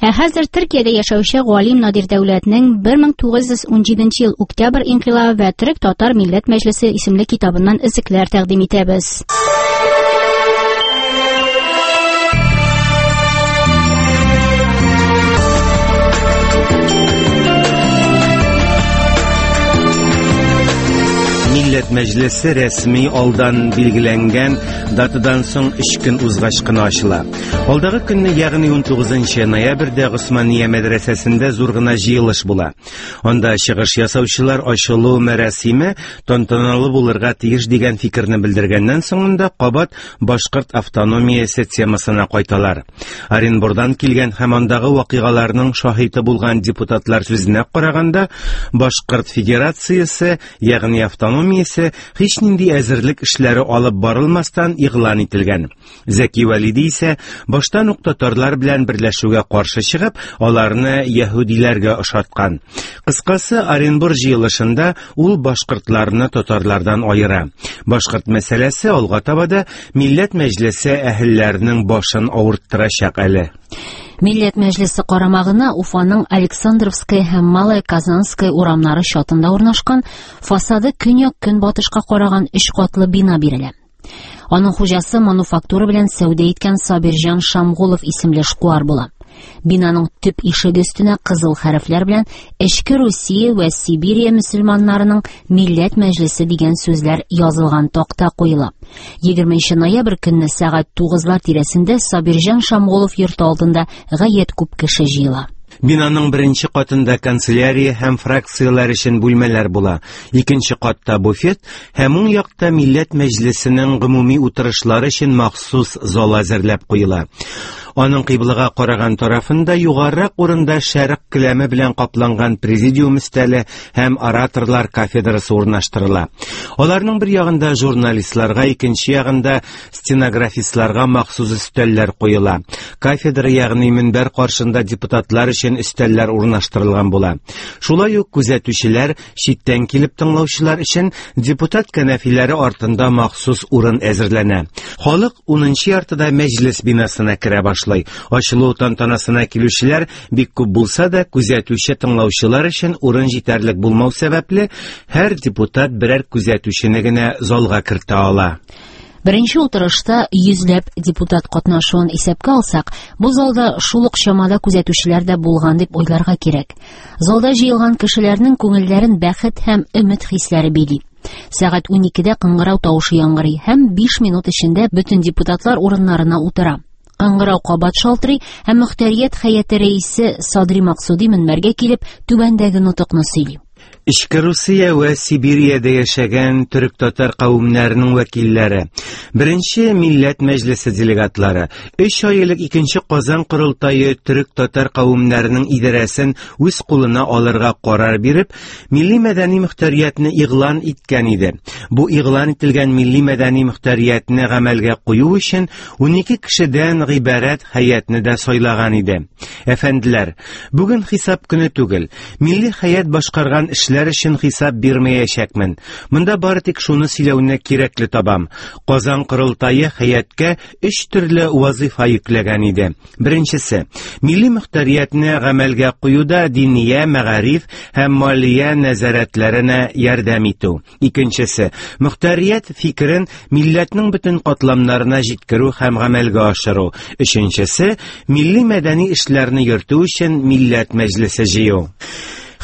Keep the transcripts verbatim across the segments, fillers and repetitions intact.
Ә хәзер Төркиядә яшәүче галим Надир Дәүләтнең бер мең тугыз йөз унҗиденче ел Октябрь инкыйлабы вә Төрек татар милләт мәҗлесе исемле китабыннан өзекләр тәкъдим итәбез. Милләт мәҗлесе рәсми алдан билгеләнгән датадан соң өч көн узгач кына ачыла. Алдагы көнне, ягъни унтугызынчы ноябрьдә Госмания мәдрәсәсендә зур гына җыелыш була. Анда чыгыш ясаучылар ачылу мәрасиме тантаналы булырга тиеш дигән фикерне белдергәннән соңында кабат башкорт автономиясе темасына кайталар. Оренбурдан килгән һәм андагы вакыйгаларның шаһиты булган депутатлар сүзенә караганда, Башкорт Федерациясе, ягъни автономиясе һич нинди әзерлек эшләре алып барылмастан игълан ителгән. Зәки Вәлиди исә баштан ук татарлар белән берләшүгә каршы чыгып, аларны яһүдиләргә ошаткан. Кыскасы, Оренбур җыелышында ул башкортларны татарлардан аера. Башкорт мәсьәләсе алга таба да Милләт мәҗлесе әһелләренең башын авырттырачак әле. Милләт мәҗлесе карамагына Уфаның Александровская һәм Малая Казанская урамнары чатында урнашкан фасады көньяк-көнбатышка караган өч катлы бина бирелә. Аның хуҗасы мануфактура белән сәүдә иткән Сабирҗан Шамгулов исемле эшкуар була. Бинаның төп ишеге өстенә кызыл хәрефләр белән Эчке Русия вә Сибирия мөселманнарының Милләт мәҗлесе дигән сүзләр язылган такта куела. Егерменче ноябрь көнне сәгать тугызлар тирәсендә Сабирҗан Шамгулов йорты алдында гаять күп кеше җыела. Бинаның беренче катында канцелярия һәм фракцияләр өчен бүлмәләр була. Икенче катта буфет һәм уң якта Милләт мәҗлесенең гомуми утырышлары өчен махсус зал әзерләп куела. Аның кыйблага караган тарафында югарырак урында шәрык келәме белән капланган президиум өстәле һәм ораторлар кафедрасы урнаштырыла. Аларның бер ягында журналистларга, икенче ягында стенографистларга махсус өстәлләр куела. Кафедра, ягъни мөнбәр каршында депутатлар өчен өстәлләр урнаштырылган була. Шулай ук күзәтүчеләр, читтән килеп тыңлаучылар өчен депутат кәнәфиләре артында махсус урын әзерләнә. Халык унынчы яртыда мәҗлес бинасына керә башлый. Ачылу тантанасына килүчеләр бик күп булса да, күзәтүче тыңлаучылар өчен урын җитәрлек булмау сәбәпле, һәр депутат берәр күзәтүчене генә залга кертә ала. Беренче утырышта йөзләп депутат катнашуын исәпкә алсак, бу залда шул ук чамада күзәтүчеләр дә булган дип уйларга кирәк. Залда җыелган кешеләрнең күңелләрен бәхет һәм өмет хисләре били. Сәгать уникедә кыңгырау тавышы яңгырый һәм биш минут эчендә бөтен депутатлар урыннарына утыра. Кыңгырау кабат шалтырый һәм мөхтәрият хәяте рәисе Садри Максуди мөнбәргә килеп түбәндәге нотыкны сөйли. Эчке Русия вә Сибириядә яшәгән төрек-татар кавемнәренең вәкилләре, беренче Милләт мәҗлесе делегатлары, өч ай элек икенче Казан корылтае төрек-татар кавемнәренең идарәсен үз кулына алырга карар биреп, милли мәдәни мөхтәриятне игълан иткән иде. Бу игълан ителгән милли мәдәни мөхтәриятне гамәлгә кую өчен унике кешедән гыйбарәт хәятне дә сайлаган иде. Әфәнделәр, бүген хисап көне түгел. Милли хәят башкарган эшләр өчен хисап бирмәячәкмен. Монда бары тик шуны сөйләүне кирәкле табам. Казан корылтае хәяткә өч төрле вазифа йөкләгән иде. Беренчесе, милли мөхтәриятне гамәлгә куюда диния, мәгариф һәм малия нәзарәтләренә ярдәм итү. Икенчесе, мөхтәрият фикерен милләтнең бөтен катламнарына җиткерү һәм гамәлгә ашыру. Өченчесе, милли мәдәни эшләрне йөртү өчен милләт мәҗлесе җыю.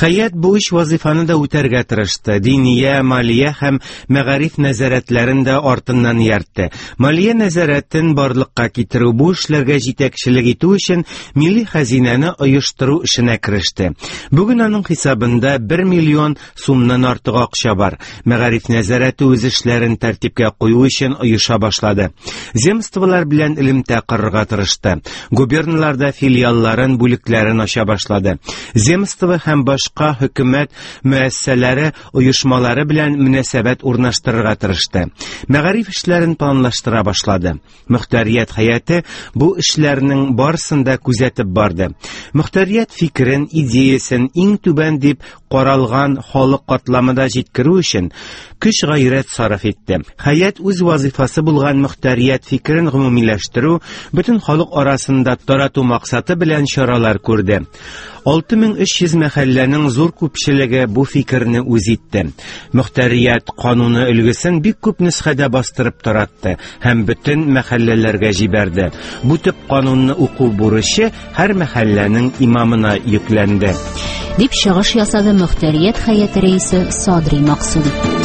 Хәят бу өч вазифаны да үтәргә тырышты. Диния, малия һәм мәгариф нәзарәтләрен дә артыннан ияртте. Малия нәзарәтен барлыкка китерү, бу эшләргә җитәкчелек итү өчен милли хәзинәне оештыру эшенә кереште. Бүген аның хисабында бер миллион сумнан артык акча бар. Мәгариф нәзарәте үз эшләрен тәртипкә кую өчен оеша башлады. Земстволар белән элемтә корырга тырышты. Губерналарда филиалларын, бүлекләрен ача башлады. Земство һәм башка хөкүмәт мөәссәләре, оешмалары белән мөнәсәбәт урнаштырырга тырышты. Мәгариф эшләрен планлаштыра башлады. Мөхтәрият хәяте бу эшләрнең барысын да күзәтеп барды. Мөхтәрият фикерен, идеясен иң түбән дип каралган халык катламында җиткерү өчен көч гайрәт сарыф итте. Хәят үз вазифасы булган мөхтәрият фикерен гомумиләштерү, бөтен халык арасында тарату максаты белән чаралар күрде. алты мең өч йөз мәхәлләнең зур күпчелеге бу фикерне үз итте. Мөхтәрият кануны өлгесен бик күп нөсхәдә бастырып таратты һәм бөтен мәхәлләләргә җибәрде. Бу төп канунны уку бурычы һәр мәхәлләнең имамына йөкләнде. Дип чыгыш ясады Мөхтәрият хәяте рәисе Садри Максуди.